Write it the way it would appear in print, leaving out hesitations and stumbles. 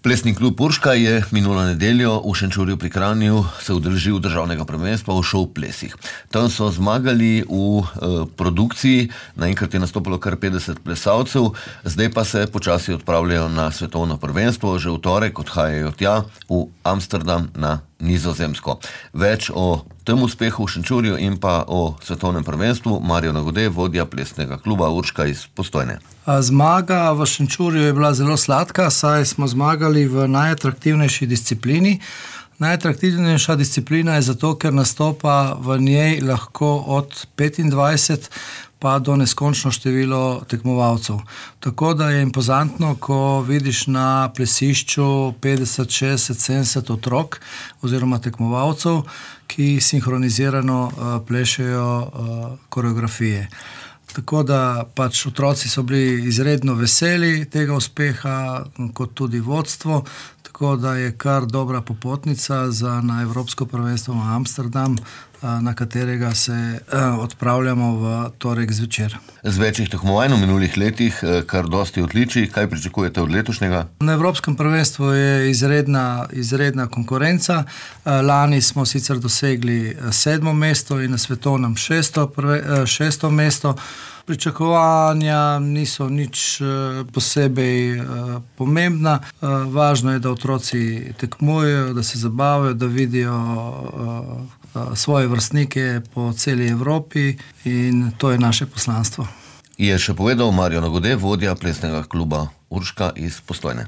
Plesni klub Urška je minulo nedeljo v Šenčurju pri Kranju se udeležil državnega prvenstva v šov plesih. Tam so zmagali v produkciji, naenkrat je nastopilo kar 50 plesalcev, zdaj pa se počasi odpravljajo na svetovno prvenstvo, že v torek odhajajo tja v Amsterdam na Nizozemsko. Več o tem uspehu v Šenčurju in pa o svetovnem prvenstvu Marijo Nagode, vodja plesnega kluba Urška iz Postojne. Zmaga v Šenčurju je bila zelo sladka, saj smo zmagali v najatraktivnejši disciplini. Najatraktivnejša disciplina je zato, ker nastopa v njej lahko od 25 pa do neskončno število tekmovalcev. Tako da je impozantno, ko vidiš na plesišču 50, 60, 70 otrok oziroma tekmovalcev, ki sinhronizirano plešejo koreografije. Tako da pač otroci so bili izredno veseli tega uspeha, kot tudi vodstvo, tako da je kar dobra popotnica na Evropsko prvenstvo v Amsterdam, na katerega se odpravljamo v torek zvečer. Z večjih tekmovanj v minulih letih kar dosti odličij, kaj pričakujete od letošnjega? Na Evropskem prvenstvu je izredna konkurenca. Lani smo sicer dosegli 7. mesto in na svetovnem 6. mesto. Pričakovanja niso nič posebej pomembna. Važno je, da otroci tekmujejo, da se zabavajo, da vidijo svoje vrstnike po celi Evropi in to je naše poslanstvo. Je še povedal Marijo Nagode, vodja plesnega kluba Urška iz Postojne.